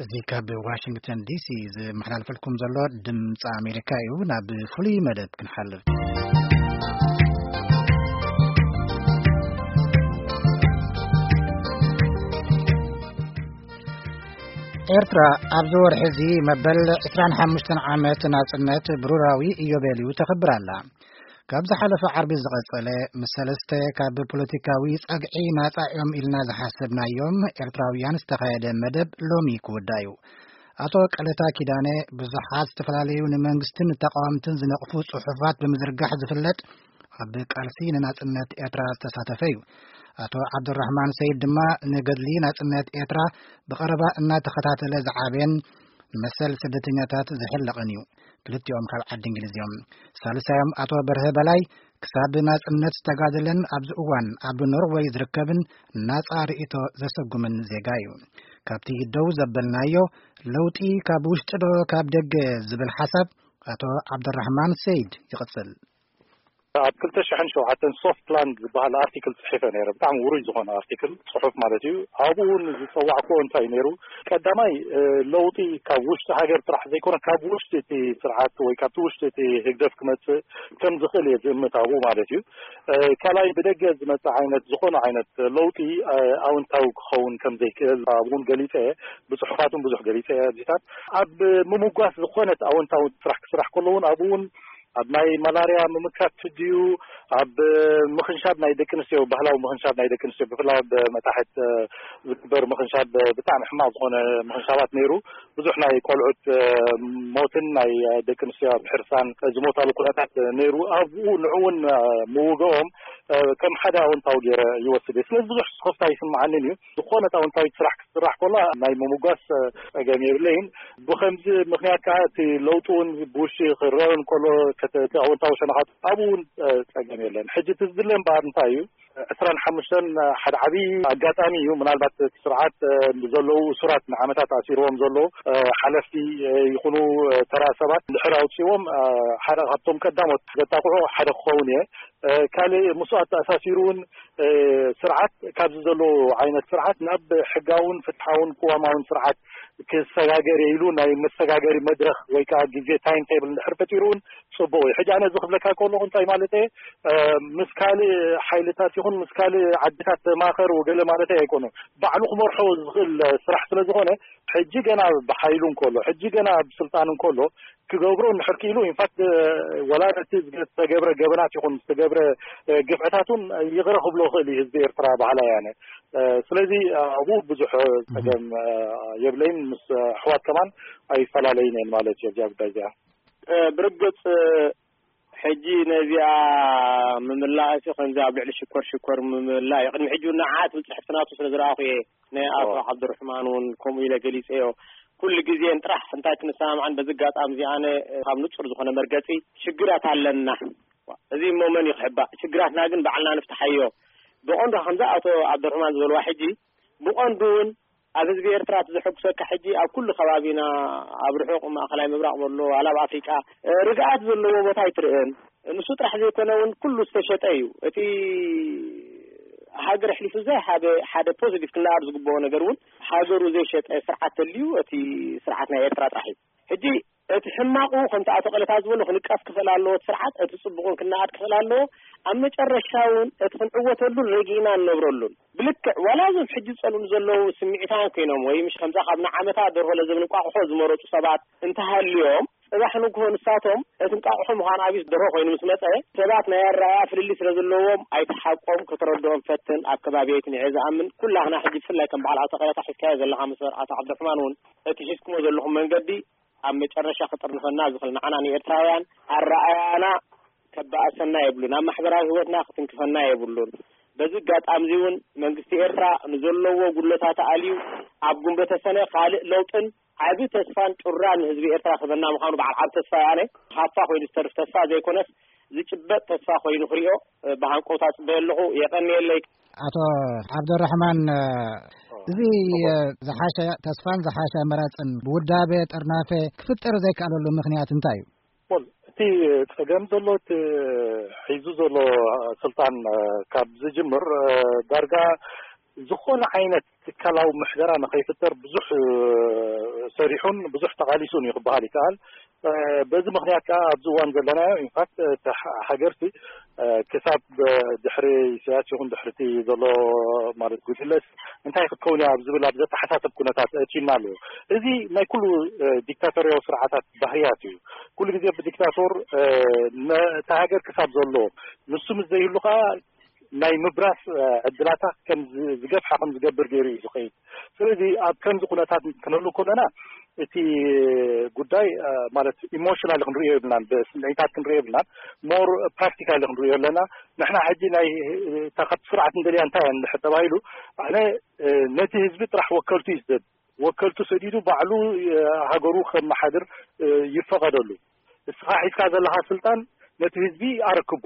እዚ ካብ ዋሽንግተን ዲሲ ዝመሓላልፈልኩም ዘሎ ድምፂ ኣሜሪካ እዩ። ናብ ፍሉይ መደብ ክንሓልፍ። ኤርትራ ኣብዚ ወርሒ እዚ መበል ዕስራን ሓሙሽተን ዓመት ናጽነት ብሩራዊ ኢዮቤልዩ ተኽብር ኣላ። ካብ ዝሓለፈ ዓርቢ ዝቐጸለ፣ ምስ ሰለስተ ካብ ፖለቲካዊ ጸግዒ ናጻ እዮም ኢልና ዝሓሰብናዮም ኤርትራውያን ዝተኻየደ መደብ ሎሚ ክውዳእ እዩ። ኣቶ ቀለታ ኪዳነ ብዙሓት ዝተፈላለዩ ንመንግስትን ንተቃወምትን ዝነቕፉ ጽሑፋት ብምዝርጋሕ ዝፍለጥ፣ ኣብ ቃልሲ ንናጽነት ኤርትራ ዝተሳተፈ እዩ። ኣቶ ዓብዱራህማን ሰይድ ድማ ንገድሊ ናጽነት ኤርትራ ብቐረባ እናተኸታተለ ዝዓበየን ንመሰል ስደተኛታት ዝሕለቕን እዩ። ክልቲኦም ካብ ዓዲ እንግሊዝ እዮም። ሳልሳዮም ኣቶ በርሀ በላይ ክሳብ ናጽነት ዝተጋደለን ኣብዚ እዋን ኣብ ኖርወይ ዝርከብን ናጻ ርእይቶ ዘሰጉምን ዜጋ እዩ። ካብቲ ደው ዘበልናዮ ለውጢ ካብ ውሽጢ ዶ ካብ ደገ ዝብል ሓሳብ ኣቶ ዓብደራሕማን ሰይድ ይቕጽል። ኣብ ክልተ ሽሕን ሸውዓተን ሶፍት ላንድ ዝበሃል ኣርቲክል ጽሒፈ ነይረ። ብጣዕሚ ውሩይ ዝኾነ ኣርቲክል፣ ጽሑፍ ማለት እዩ። ኣብኡ እውን ዝጸዋዕክዎ እንታይ ነይሩ? ቀዳማይ፣ እ፣ ለውጢ ካብ ውሽጢ ሃገር ጥራሕ ዘይኮነ፣ ካብ ውሽጢ እቲ ስርዓት ወይ ካብቲ ውሽጢ እቲ ህግደፍ ክመጽእ ከም ዝኽእል እየ ዝእምት ኣብኡ ማለት እዩ። እ፣ ካልኣይ፣ ብደገ ዝመጽእ ዓይነት ዝኾነ ዓይነት ለውጢ፣ እ፣ ኣውንታዊ ክኸውን ከም ዘይክእል ኣብኡ እውን ገሊጸ እየ። ብጽሑፋት እውን ብዙሕ ገሊጸ እየ። ኣብዚታት ኣብ ምምጓስ ዝኾነት ኣውንታዊ ስራሕ ክስራሕ ከሎ እውን ኣብኡ እውን ኣብ ናይ ማላርያ ምምካት ድዩ፣ ኣብ ምኽንሻብ ናይ ደቂ ኣንስትዮ፣ ባህላዊ ምኽንሻብ ናይ ደቂ ኣንስትዮ፣ ብፍላይ ኣብ መታሕት፣ እ፣ ዝግበር ምኽንሻብ፣ እ፣ ብጣዕሚ ሕማቕ ዝኾነ ምኽንሻባት ነይሩ። ብዙሕ ናይ ቆልዑት፣ እ፣ ሞትን ናይ ደቂ ኣንስትዮ ኣብ ሕርሳን ዝሞታሉ ኩነታት ነይሩ። ኣብኡ ንዕውን፣ እ፣ ምውገኦም፣ እ፣ ከም ሓደ ኣወንታዊ ገይረ ይወስድ እየ። ስለዚ ብዙሕ ስኽፍታ ኣይስምዓንን እዩ። ዝኾነት ኣወንታዊት ስራሕ ክትስራሕ ከላ ናይ ምምጓስ፣ እ፣ ጸገም የብለይን። ብኸምዚ ምኽንያት ከኣ እቲ ለውጢ እውን ብውሽጢ ክረአ እንከሎ፣ ከተ-፣ እቲ ኣወንታዊ ሸነኻት ኣብኡ እውን፣ እ፣ ጸገም የለን። ሕጂ እቲ ዝድለ እምበኣር እንታይ እዩ? ዕስራን ሓሙሽተን ሓደ ዓቢ ኣጋጣሚ እዩ። ምናልባት እቲ ስርዓት፣ እ፣ ብዘለዉ እሱራት ንዓመታት ኣሲርዎም ዘለዉ፣ እ፣ ሓለፍቲ፣ እ፣ ይኹኑ፣ እ፣ ተራ ሰባት እንድሕር ኣውጺዎም፣ እ፣ ሓደ ካብቶም ቀዳሞት ዘጣቕዑ ሓደ ክኸውን እየ። እ፣ ካልእ ምስኡ ኣተኣሳሲሩ እውን፣ እ፣ ስርዓት ካብዚ ዘሎ ዓይነት ስርዓት ናብ ሕጋውን ፍትሓውን ቅዋማውን ስርዓት ክሰጋገር እየ ኢሉ ናይ መሰጋገሪ መድረኽ ወይ ከዓ ግዜ ታይም ቴብል እንድሕር ፈጢሩ እውን ጽቡቕ እዩ። ሕጂ ኣነ እዚ ክብለካ ከለኹ እንታይ ማለት እየ? እ፣ ምስ ካልእ ሓይልታት ይኹን ምስ ካልእ ዓድታት ተማኸር ወገለ ማለት ኣይኮነ። ባዕሉ ክመርሖ ዝኽእል ስራሕ ስለ ዝኾነ፣ ሕጂ ገና ብሓይሉ እንከሎ፣ ሕጂ ገና ኣብ ስልጣን እንከሎ ክገብሮ እንድሕር ክኢሉ፣ ኢንፋክት፣ እ፣ ወላ ነቲ ዝተገብረ ገበናት ይኹን ዝተገብረ፣ እ፣ ግፍዕታት እውን ይቕረ ክብሎ ይኽእል እዩ ህዝቢ ኤርትራ በሃላይ ኣነ። እ፣ ስለዚ፣ እ፣ ኣብኡ ብዙሕ፣ እ፣ ጸገም፣ እ፣ የብለይን። ምስ፣ እ፣ ኣሕዋት ከማን ኣይፈላለይን እየን ማለት እዩ ኣብዚኣ ጉዳይ እዚኣ። እ፣ ብርግጽ፣ እ፣ ሕጂ ነዚኣ ምምላእሲ ከምዚ ኣብ ልዕሊ ሽኮር ሽኮር ምምላእ እዩ። ቅድሚ ሕጂ እውን ንዓት ብጽሕፍቲ ናቱ ስለ ዝረኣኹ እየ። ናይ ኣቶ ኦ። ዓብዱርሕማን እውን ከምኡ ኢለ ገሊጸዮ። ኩሉ ግዜን ጥራሕ እንታይ ክንሰማማዕን በዚ ኣጋጣሚ እዚ ኣነ ካብ ንጹር ዝኾነ መርገጺ ሽግራት ኣለና። እዚ እሞ መን እዩ ክሕባእ? ሽግራትና ግን ባዕልና ንፍትሓዮ። ብቐንዱ ከምዚ ኣቶ ዓብዱርሕማን ዝበልዋ ሕጂ ብቐንዱ እውን ኣብ ህዝቢ ኤርትራ እቲ ዘሐጉሰካ ሕጂ ኣብ ኩሉ ከባቢና ኣብ ርሑቕ ማእኸላይ ምብራቕ በሎ ዋላ ኣብ ኣፍሪቃ፣ እ፣ ርግኣት ዘለዎ ቦታ ኣይትርእን። ንሱ ጥራሕ ዘይኮነ እውን ኩሉ ዝተሸጠ እዩ። እቲ ሃገር ኣሕሊፉ ዘይሃበ ሓደ ፖዚቲቭ ክነኣር ዝግብኦ ነገር እውን ሃገሩ ዘይሸጠ ስርዓት ተልዩ እቲ ስርዓት ናይ ኤርትራ ጥራሕ እዩ። ሕጂ እቲ ሕማቑ ከምቲ ኣቶ ቀለታ ዝበሎ ክንቀፍ ክኽእል ኣለዎ እቲ ስርዓት፣ እቲ ጽቡቕን ክነኣድ ክኽእል ኣለዎ። ኣብ መጨረሻ እውን እቲ ክንዕወተሉን ረጊእና ንነብረሉን ብልክዕ ዋላ እዞም ሕጂ ዝጸልኡን ዘለዉ ስምዒታውያን ኮይኖም ወይ ምሽ ከምዛ ካብ ንዓመታ ደርሆ ለዘብ ንቋቑሖ ዝመረጹ ሰባት እንተሃልዮም፣ ጽባሕ ንግሆ ንሳቶም እቲ እንቋቑሖ ምዃን ኣብዩ ደርሆ ኮይኑ ምስ መጸ፣ ሰባት ናይ ኣረኣእያ ፍልልይ ስለ ዘለዎም ኣይትሓቆም፣ ከተረድኦም ፈትን። ኣብ ከባቢየይ ትንዕየ ዝኣምን ኩላህና ሕጂ ብፍላይ ከም በዓል ኣቶ ቀለታ ሒዝካዮ ዘለኻ መስመር ኣቶ ዓብዱርሕማን እውን እቲ ሒዝኩሞ ዘለኹም መንገዲ ኣብ መጨረሻ ክጥርንፈና ዝኽእል ንዓና ንኤርትራውያን ኣረኣእያና ከባእሰና የብሉን፣ ኣብ ማሕበራዊ ህይወትና ክትንክፈና የብሉን። በዚ ኣጋጣሚ እዚ እውን መንግስቲ ኤርትራ ንዘለዎ ጉድለታት ኣልዩ ኣብ ጉንበተ ሰነ ካልእ ለውጥን ዓቢ ተስፋን ጩራን ንህዝቢ ኤርትራ ክህበና ምዃኑ በዓል ዓቢ ተስፋ እየ ኣነ። ሃፋ ኮይኑ ዝተርፍ ተስፋ ዘይኮነስ ዝጭበጥ ተስፋ ኮይኑ ክሪኦ ብሃንቀውታ ጽበዮ ኣለኹ። የቐንየለይ። ኣቶ ዓብደራሕማን፣ እዚ ዝሓሸ ተስፋን ዝሓሸ ኣመራጽን ብውዳበ ጥርናፈ ክፍጠር ዘይከኣለሉ ምኽንያት እንታይ እዩ? ወል፣ እቲ ጸገም ዘሎ፣ እቲ ሒዙ ዘሎ ስልጣን ካብ ዝጅምር ዳርጋ ዝኾነ ዓይነት ትካላዊ ምሕደራ ንኸይፍጠር ብዙሕ ሰሪሑን ብዙሕ ተቓሊሱን እዩ ክበሃል ይከኣል። በዚ ምኽንያት ከዓ ኣብዚ እዋን ዘለናዮ ኢንፋክት ሃገርቲ ክሳብ ድሕሪ ኢሳያስ ይኹን ድሕርቲ ዘሎ ማለት ጉጅለስ እንታይ ክትከውን እያ ኣብ ዝብል ኣብ ዘተሓሳሰብ ኩነታት እቲና ኣለዎ። እዚ ናይ ኩሉ ዲክታቶርያዊ ስርዓታት ባህርያት እዩ። ኩሉ ግዜ ብዲክታቶር ነታ ሃገር ክሳብ ዘሎ ንሱ ምስ ዘይህሉ ከዓ ናይ ምብራስ ዕድላታ ከም ዝገፍሓ ከም ዝገብር ገይሩ እዩ ዝኸይድ። ስለዚ ኣብ ከምዚ ኩነታት ክንህሉ ከለና እቲ ጉዳይ ማለት ኢሞሽናል ክንሪኦ የብልናን፣ ብስምዒታት ክንሪኦ የብልናን። ሞር ፕራክቲካል ክንሪኦ ኣለና። ንሕና ሕጂ ናይ ካብ ስርዓት እንደልያ እንታይ እንድሕር ተባሂሉ ኣነ ነቲ ህዝቢ ጥራሕ ወከልቱ ይስደድ፣ ወከልቱ ሰዲዱ ባዕሉ ሃገሩ ከመሓድር ይፈቐደሉ። እስኻ ሒዝካ ዘለኻ ስልጣን ነቲ ህዝቢ ኣረክቦ።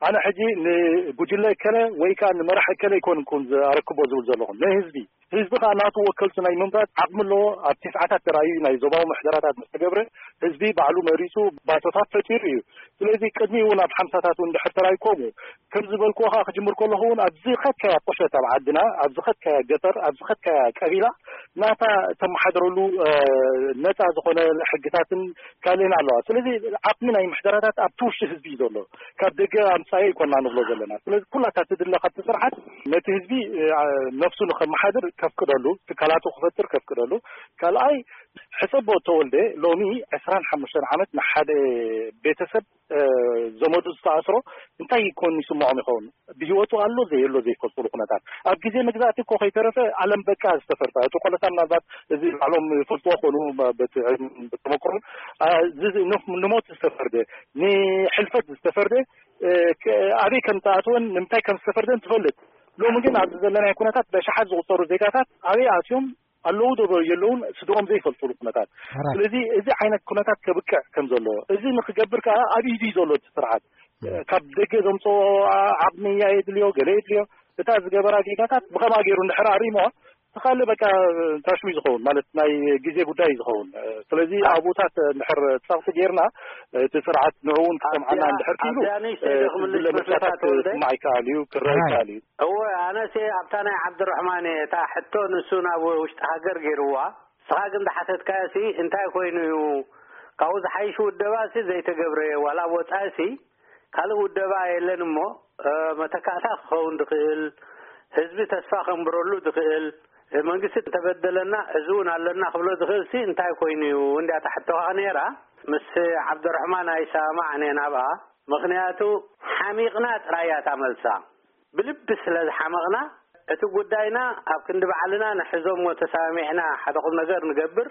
ኣነ ሕጂ ንጉጅለ እከለ ወይ ከዓ ንመራሕ እከለ ኣይኮንኩን ኣረክቦ ዝብል ዘለኹ፣ ንህዝቢ። ህዝቢ ከዓ ናቱ ወከልቱ ናይ ምምራፅ ዓቕሚ ኣለዎ። ኣብ ትስዓታት ተራእዩ ናይ ዞባዊ ምሕደራታት ምስ ተገብረ ህዝቢ ባዕሉ መሪፁ ባቶታት ፈጢሩ እዩ። ስለዚ ቅድሚ እውን ኣብ ሓምሳታት እውን ድሕር ተራእዩ ከምኡ ከም ዝበልኩዎ ከዓ ክጅምር ከለኹ እውን ኣብዚ ኸድካያ ቁሸት ኣብ ዓድና፣ ኣብዚ ኸድካያ ገጠር፣ ኣብዚ ኸድካያ ቀቢላ ናታ ተመሓድረሉ ነፃ ዝኾነ ሕግታትን ካልእን ኣለዋ። ስለዚ ዓቕሚ ናይ ምሕደራታት ኣብቲ ውሽጢ ህዝቢ እዩ ዘሎ። ካብ ደገ ኣምፃዮ ኣይኮና ንብሎ ዘለና። ስለዚ ኩላታ ትድለ ካብቲ ስርዓት ነቲ ህዝቢ ነፍሱ ንኸመሓድር ከፍቅደሉ፣ ትካላቱ ክፈጥር ከፍቅደሉ። ካልኣይ ሕሰቦ ተወልደ ሎሚ ዕስራን ሓሙሽተን ዓመት ንሓደ ቤተሰብ ዘመዱ ዝተኣስሮ እንታይ ይኮን ይስምዖም ይኸውን? ብህይወቱ ኣሎ ዘየሎ ዘይፈልጥሉ ኩነታት። ኣብ ግዜ መግዛእቲ እኮ ከይተረፈ ኣለም በቃ ዝተፈርዳ፣ እቲ ቆለታ ምናልባት እዚ ባዕሎም ይፈልጥዎ ኮኑ፣ በቲ ተመክሮን ንሞት ዝተፈርደ፣ ንሕልፈት ዝተፈርደ ኣበይ ከም ተኣትወን ንምንታይ ከም ዝተፈርደን ትፈልጥ። ሎሚ ግን ኣብዚ ዘለናይ ኩነታት በሽሓት ዝቁፀሩ ዜጋታት ኣበይ ኣትዮም ኣለዉ ዶ የለውን ስድኦም ዘይፈልጥሉ ኩነታት። ስለዚ እዚ ዓይነት ኩነታት ከብቅዕ ከም ዘለዎ፣ እዚ ንክገብር ከዓ ኣብ ኢዱ እዩ ዘሎ እቲ ስርዓት። ካብ ደገ ዘምፅኦ ዓቕሚ እያ የድልዮ፣ ገለ የድልዮ። እታ ዝገበራ ጌጋታት ብኸምኣ ገይሩ እንድሕር ኣሪሞ፣ ተኻለ በቃ ታሽዊ ዝኸውን ማለት ናይ ግዜ ጉዳይ ዝኸውን። ስለዚ ኣብኡታት እንድሕር ፀቕጢ ጌርና እቲ ስርዓት ንዕኡ እውን ክሰምዓና እንድሕር ክኢሉ ኣብዚኣ ንእሽተይ ዶ ክምልስ ዝብለ መስለካ መብዛታት ተወልደ? ክስማዕ ይከኣል እዩ፣ ክረአ ይከኣል እዩ። እወ፣ ኣነሲ ኣብታ ናይ ዓብድራሕማን እየ፣ እታ ሕቶ ንሱ ናብ ውሽጢ ሃገር ገይርዋ። ንስኻ ግን ዝሓተትካዮሲ እንታይ ኮይኑ እዩ? ካብኡ ዝሓይሽ ውደባሲ ዘይተገብረ፣ ዋላ ኣብ ወጻኢሲ ካልእ ውደባ የለን እሞ፣ መተካእታ ክኸውን ዝኽእል፣ ህዝቢ ተስፋ ከንብረሉ ዝኽእል፣ መንግስቲ እንተበደለና እዚ እውን ኣለና ክብሎ ዝኽእልሲ እንታይ ኮይኑ እዩ? እንድያ እታ ሕቶኻ ነይራ። ምስ ዓብደራሕማን ኣይሰማማዕን እየ ናብኣ። ምኽንያቱ ሓሚቕና ጥራይ እያ እታ መልሳ። ብልቢ ስለ ዝሓመቕና፣ እቲ ጉዳይና ኣብ ክንዲ ባዕልና ንሕዞ እሞ ተሰማሚዕና ሓደ ቁም ነገር ንገብር፣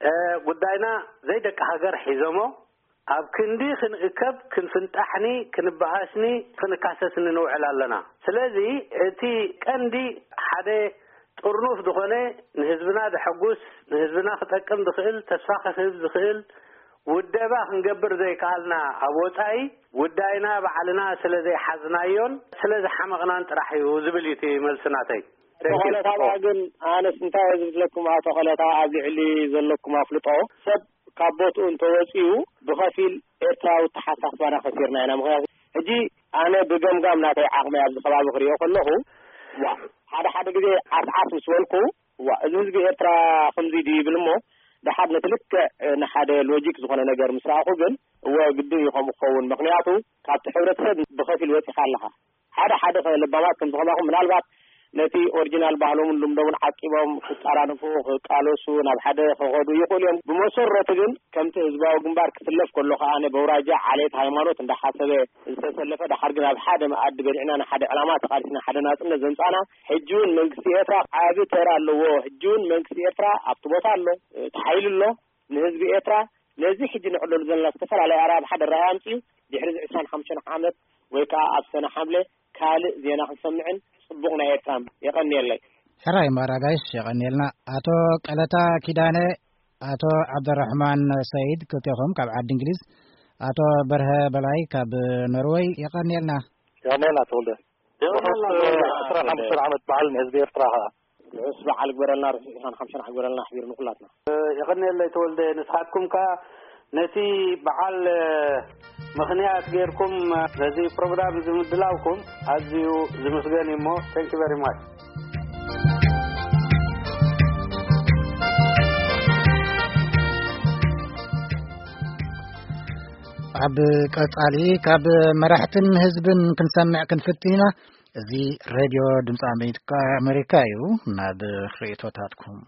እ፣ ጉዳይና ዘይደቂ ሃገር ሒዞሞ፣ ኣብ ክንዲ ክንእከብ፣ ክንፍንጣሕኒ፣ ክንበኣስኒ፣ ክንካሰስኒ ንውዕል ኣለና። ስለዚ እቲ ቀንዲ ሓደ ጥርኑፍ ዝኾነ ንህዝብና ዘሐጉስ፣ ንህዝብና ክጠቅም ዝኽእል፣ ተስፋ ክህብ ዝኽእል ውደባ ክንገብር ዘይከኣልና ኣብ ወጻኢ፣ ጉዳይና ባዕልና ስለ ዘይሓዝናዮን ስለ ዝሓመቕናን ጥራሕ እዩ ዝብል እዩ እቲ መልሲ ናተይ። ተንኪ። ተኾለ ካባ ግን ኣነስ እንታይ እየ ዝብለኩም፣ ኣቶ ኾለታ ኣብዚ ዕሊ ዘለኩም ኣፍልጦ፣ ሰብ ካብ ቦትኡ እንተወፂኡ ብኸፊል ኤርትራዊ ተሓሳስባና ከሲርና ኢና። ምኽንያቱ ሕጂ ኣነ ብገምጋም ናተይ ዓቕሚ ኣብዚ ከባቢ ክሪኦ ከለኹ፣ ዋ፣ ሓደ ሓደ ግዜ ዓስዓስ ምስ በልኩ፣ ዋ፣ እዚ ህዝቢ ኤርትራ ከምዚ ድዩ ይብል እሞ፣ ደሓር ነቲ ልክዕ ንሓደ ሎጂክ ዝኾነ ነገር ምስ ረኣኹ ግን፣ እወ፣ ግድን እዩ ከምኡ ክኸውን። ምኽንያቱ ካብቲ ሕብረተሰብ ብኸፊል ወፂኻ ኣለኻ። ሓደ ሓደ ከ ለባማት ከም ዝኸማኹም ምናልባት ነቲ ኦሪጂናል ባህሎምን ልምዶምን ዓቂቦም ክጠራንፉ፣ ክቃለሱ፣ ናብ ሓደ ክኸዱ ይኽእሉ እዮም። ብመሰረቱ ግን ከምቲ ህዝባዊ ግንባር ክስለፍ ከሎ ከኣ ብኣውራጃ፣ ዓሌት፣ ሃይማኖት እንዳሓሰበ ዝተሰለፈ፣ ደሓር ግን ኣብ ሓደ መኣዲ በሊዕና ንሓደ ዕላማ ተቓሊስና ሓደ ናጽነት ዘምጻና፣ ሕጂ እውን መንግስቲ ኤርትራ ዓቢ ተራ ኣለዎ። ሕጂ እውን መንግስቲ ኤርትራ ኣብቲ ቦታ ኣሎ፣ እቲ ሓይሊ ኣሎ። ንህዝቢ ኤርትራ ነዚ ሕጂ ንዕለሉ ዘለና ዝተፈላለየ ኣራብሓ ድራይ ኣምጽኡ ድሕሪ ዕስራን ሓሙሽተን ዓመት ወይ ከኣ ኣብ ሰነ ሓምለ ካልእ ዜና ክንሰምዕን ጽቡቕ ናይ ኤርትራን። የቐንየለይ። ሕራይ እምበኣር ኣጋይሽ፣ የቐንየልና። ኣቶ ቀለታ ኪዳነ፣ ኣቶ ዓብደራሕማን ሰይድ ክልቴኹም ካብ ዓዲ እንግሊዝ፣ ኣቶ በርሀ በላይ ካብ ኖርወይ፣ የቐንየልና። የቐንየልና ተወልደ። የቐንየልና ብኸስ ተወልደ። ዕስራን ሓሙሽተን ዓመት በዓል ንህዝቢ ኤርትራ ኸኣ። ርሑስ በዓል ግበረልና፣ ርሑስ ዕስራን ሓሙሽተን ዓመት ግበረልና ኣሕቢሩ ንኹላትና። የቐንየለይ ተወልደ፣ ንስኻትኩም ከኣ ነቲ በዓል ምኽንያት ጌርኩም ነዚ ፕሮግራም እዚ ምድላውኩም ኣዝዩ ዝምስገን እዩ እሞ፣ thank you very much። ኣብ ቀጻሊ ካብ መራሕትን ህዝብን ክንሰምዕ ክንፍትን ኢና። እዚ ሬድዮ ድምፂ ኣሜሪካ፣ ኣሜሪካ እዩ። ናብ ርእይቶታትኩም።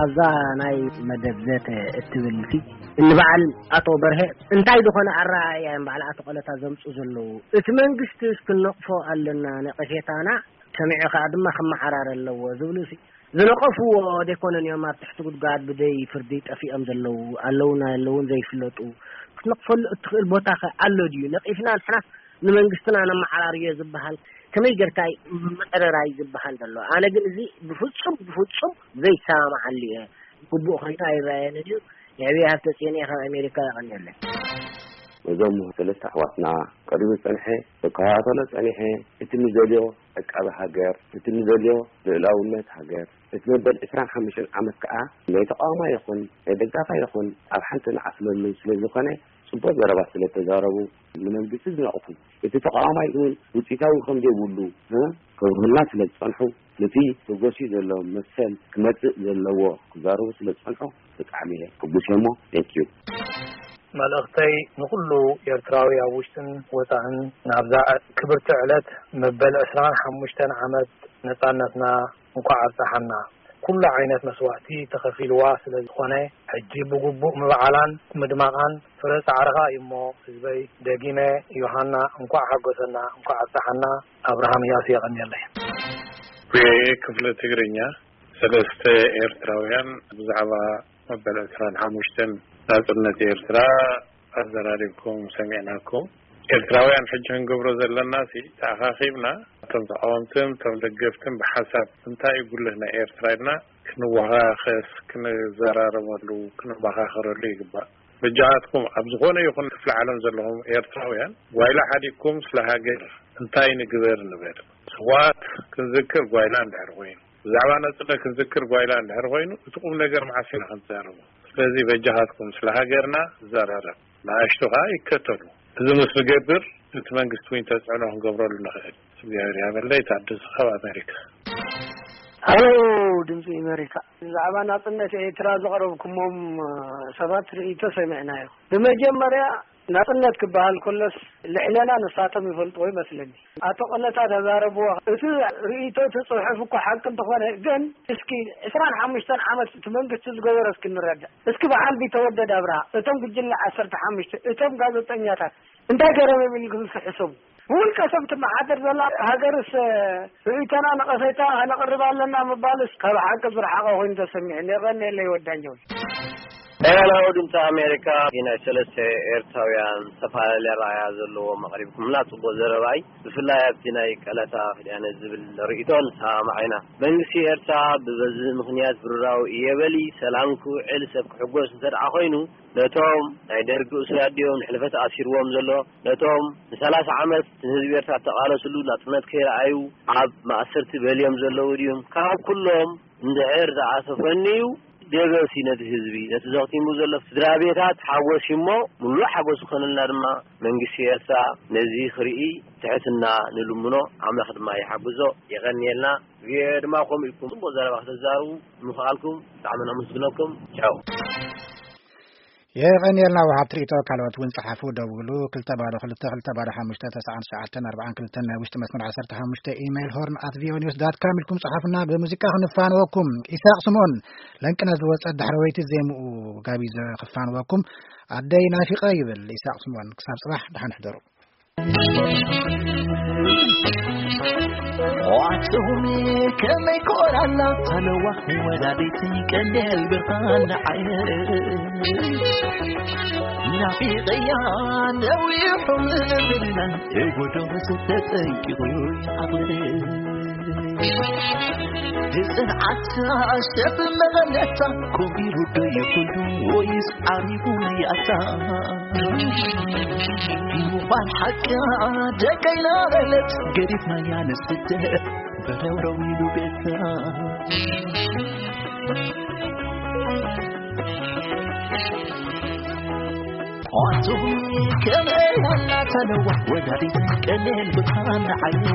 ኣብዛ ናይ መደብ ዘተ እትብልቲ፣ ንበዓል ኣቶ በርሀ እንታይ ዝኾነ ኣረኣእያ እዮም በዓል ኣቶ ቀለታ ዘምፁ ዘለዉ? እቲ መንግስቲ ክንነቕፎ ኣለና ነቐፌታና፣ ሰሚዑ ከኣ ድማ ክመሓራር ኣለዎ ዝብሉ ሲ፣ ዝነቐፍዎ ደይኮነን እዮም ኣብ ትሕቲ ጉድጓድ ብደይ ፍርዲ ጠፊኦም ዘለዉ፣ ኣለዉን ኣለዉን ዘይፍለጡ። ክትነቕፈሉ እትኽእል ቦታ ኸ ኣሎ ድዩ? ነቒፍና ንሕና ንመንግስትና ነመሓራርዮ ዝበሃል ከመይ ጌርካ እዩ ምዕርራይ ዝበሃል ዘሎ? ኣነ ግን እዚ ብፍጹም፣ ብፍጹም ዘይሰማማዓሉ እየ። ግቡእ ኮይኑ ኣይረኣየንን እዩ። የዕብየ ሃብተጽዮን እየ ካብ ኣሜሪካ፣ የቐንየለይ። ነዞም ሰለስተ ኣሕዋትና ቀሪቡ ዝጸንሐ፣ ክከታተሎ ጸኒሐ፣ እቲ ንደልዮ ዕቃበ ሃገር፣ እቲ ንደልዮ ልኡላውነት ሃገር፣ እቲ መበል ዕስራን ሓሙሽተን ዓመት ከኣ ናይ ተቃዋማይ ይኹን ናይ ደጋፋይ ይኹን ኣብ ሓንቲ ንዓስለሉ ስለ ዝኾነ፣ ጽቡቕ ዘረባ ስለ ተዛረቡ፣ ንመንግስቲ ዝነቕፉ፣ እቲ ተቃዋማይ እውን ውጽኢታዊ ከም ዘይብሉ፣ እ፣ ከብርሁልና ስለ ዝጸንሑ፣ ነቲ ተጎስዩ ዘሎ መሰል ክመጽእ ዘለዎ ክዛረቡ ስለ ዝጸንሑ፣ ብጣዕሚ እየ ሕጉስ እየ እሞ፣ thank you። መልእኽተይ ንኹሉ ኤርትራዊ ኣብ ውሽጥን ወጻእን ናብዛ ክብርቲ ዕለት መበል ዕስራን ሓሙሽተን ዓመት ነጻነትና እንኳዕ ኣብጽሓና። ኩሉ ዓይነት መስዋእቲ ተኸፊልዋ ስለ ዝኾነ፣ ሕጂ ብግቡእ ምብዓላን ምድማቓን ፍረ ጻዕርኻ እዩ እሞ፣ ህዝበይ፣ ደጊመ ዮሃና እንኳዕ ሓጎሰና፣ እንኳዕ ኣብጽሓና። ኣብርሃም እያሱ የቐንየለይ። ቪኦኤ ክፍለ ትግርኛ፣ ሰለስተ ኤርትራውያን ብዛዕባ መበል ዕስራን ሓሙሽተን ናጽነት ኤርትራ ኣዘራሪብኩም ሰሚዕናኩም። ኤርትራውያን ሕጂ ክንገብሮ ዘለናሲ፣ ተኣኻኺብና እቶም ተቃወምትን እቶም ደገፍትን ብሓሳብ እንታይ እዩ ጉልህ ናይ ኤርትራ ኢልና ክንወኻኸስ፣ ክንዘራረበሉ፣ ክንመኻኸረሉ ይግባእ። በጃኻትኩም ኣብ ዝኾነ ይኹን ክፍለ ዓለም ዘለኹም ኤርትራውያን ጓይላ ሓዲግኩም ስለ ሃገር እንታይ ንግበር ንበል። ስዋት ክንዝክር ጓይላ እንድሕር ኮይኑ፣ ብዛዕባ ናጽነት ክንዝክር ጓይላ እንድሕር ኮይኑ፣ እቲ ቁም ነገር መዓስ ኢና ክንዛረቦ? ስለዚ በጃኻትኩም ስለ ሃገርና ዘራረብ፣ ንኣሽቱ ከኣ ይከተሉ። እዚ ምስ ንገብር፣ እቲ መንግስቲ እውን ተጽዕኖ ክንገብረሉ ንኽእል። እግዚኣብሔር ያበለይ። ታደሰ ካብ ኣሜሪካ። ሃሎ፣ ድምፂ ኣሜሪካ። ብዛዕባ ናጽነት ኤርትራ ዘቕረብኩሞም ሰባት ርእይቶ ሰሚዕናዮ። ብመጀመርያ፣ ናጽነት ክበሃል ከሎስ፣ ልዕለና ንሳቶም ይፈልጥዎ ይመስለኒ። ኣቶ ቀለታ ተዛረብዎ። እቲ ርእይቶ፣ እቲ ጽሑፍ እኮ ሓቂ እንተኾነ፣ ግን እስኪ ዕስራን ሓሙሽተን ዓመት እቲ መንግስቲ ዝገበሮ እስኪ ንረዳእ። እስኪ በዓል ቢተወደድ ኣብርሃ፣ እቶም ጉጅለ ዓሰርተ ሓሙሽተ፣ እቶም ጋዜጠኛታት እንታይ ገይሮም እዮም ኢልኩም እስኪ ሕሰቡ። ብውልቀ ሰብ ትመሓደር ዘላ ሃገርስ፣ ርእይቶና ነቐፌታ ነቕርብ ኣለና ምባልስ ካብ ሓቂ ዝረሓቐ ኮይኑ ተሰሚዑ። የቐንየለይ ወዳኛው። ሄሎ፣ ድምፂ ኣሜሪካ። ናይ ሰለስተ ኤርትራውያን ዝተፈላለየ ረኣያ ዘለዎም ኣቕሪብኩምና ጽቡቕ ዘረባ እዩ። ብፍላይ ኣብቲ ናይ ቀለታ ክድያነ ዝብል ርእይቶ ንሰማማዕ ኢና። መንግስቲ ኤርትራ ብበዚ ምኽንያት ብሩራዊ እየ በሊ፣ ሰላም ክውዕል፣ ሰብ ክሕጎስ እንተ ደኣ ኮይኑ፣ ነቶም ናይ ደርጊ እሱራት ድዮም ንሕልፈት ኣሲርዎም ዘሎ? ነቶም ንሰላሳ ዓመት ንህዝቢ ኤርትራ ተቓለስሉ ናጽነት ከይረኣዩ ኣብ ማእሰርቲ በልዮም ዘለዉ ድዮም? ካብ ኩሎም እንድሕር ደኣ ተፈንዩ፣ ደበሲ ነቲ ህዝቢ፣ ነቲ ዘኽቲሙ ዘሎ ስድራ ቤታት ሓጎስ እሞ፣ ምሉእ ሓጎስ ክኾነልና ድማ መንግስቲ ኤርትራ ነዚ ክርኢ ትሕትና ንልምኖ፣ ኣምላኽ ድማ ይሓግዞ። የቐንየልና። ቪኦኤ ድማ ከምኡ ኢልኩም ጽቡቕ ዘረባ ከተዛርቡ ምኽኣልኩም ብጣዕሚ ነመስግነኩም። ቻው። የቐንየልና ወሃብቲ ርእይቶ። ካልኦት እውን ጸሓፉ፣ ደውሉ፣ ክልተ ባዶ ክልተ፣ ክልተ ባዶ ሓሙሽተ፣ ተስዓን ትሽዓተን ኣርባዓን ክልተን፣ ናይ ውሽጢ መስመር ዓሰርተ ሓሙሽተ፣ ኢሜይል ሆርን ኣት ቪኦኤ ኒውስ ዳት ካም ኢልኩም ጸሓፉና። ብሙዚቃ ክንፋንወኩም። ኢሳቕ ስምኦን፣ ለንቅነ ዝወጸ ዳሕረወይቲ ዜምኡ ጋቢዘ ክፋንወኩም። ኣደይ ናፊቐ ይብል ኢሳቕ ስምኦን። ክሳብ ጽባሕ ደሓን ሕደሩ። ኣዋትሁሚ ከመይ ኮራላ፣ ሃለዋ ወላዲት ቀንዴል ብርሃን ንዓየ። ናፊቐያ ነዊሑ ምብልና፣ የጎዶ ዝተጠንቂቑ ይዓብር። ብጽንዓት ኣሸብ መቐነታ፣ ኮቢሩ ዶ ይኹሉ ወይስ ዓሪቡ ያታ? ምዃን ሓቃ ደቀይና በለት፣ ገዲፍናያ ንስደት በረውረው ኢሉ ቤታ። ኣቱም ከመይ ኣላ ተለዋ፣ ወዳዲት ቀኔን ብርሃን ዓይኒ።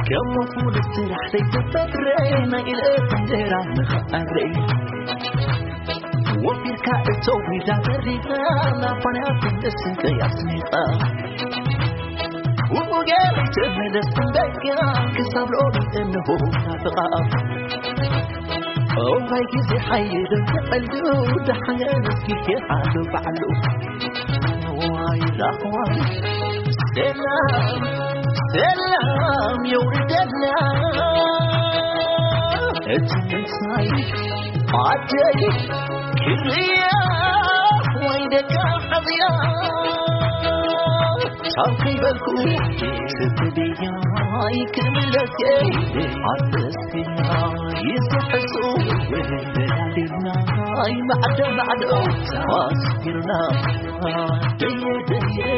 كم فول السرح ليتفكر ما إلى فندرة مخأري وفي الكائن توي لا تريد ما فنعت النسل كي أسميقا وقالت من السندك كسر لون إنه نافقا أو هاي كيزي حي دم تقلو دحيان سكيكي حالو بعلو واي لا واي سلام سلام يا ولد الله اتمنى عجيب كريا وينك حظيا شاوكي بالكو ستديا يكمل لك عرس يزحسو وينك معدو معدو واسكرنا دي دي دي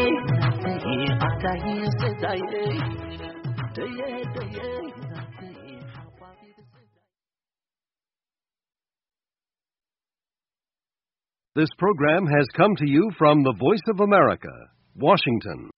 دي دي دي This program has come to you from the Voice of America, Washington.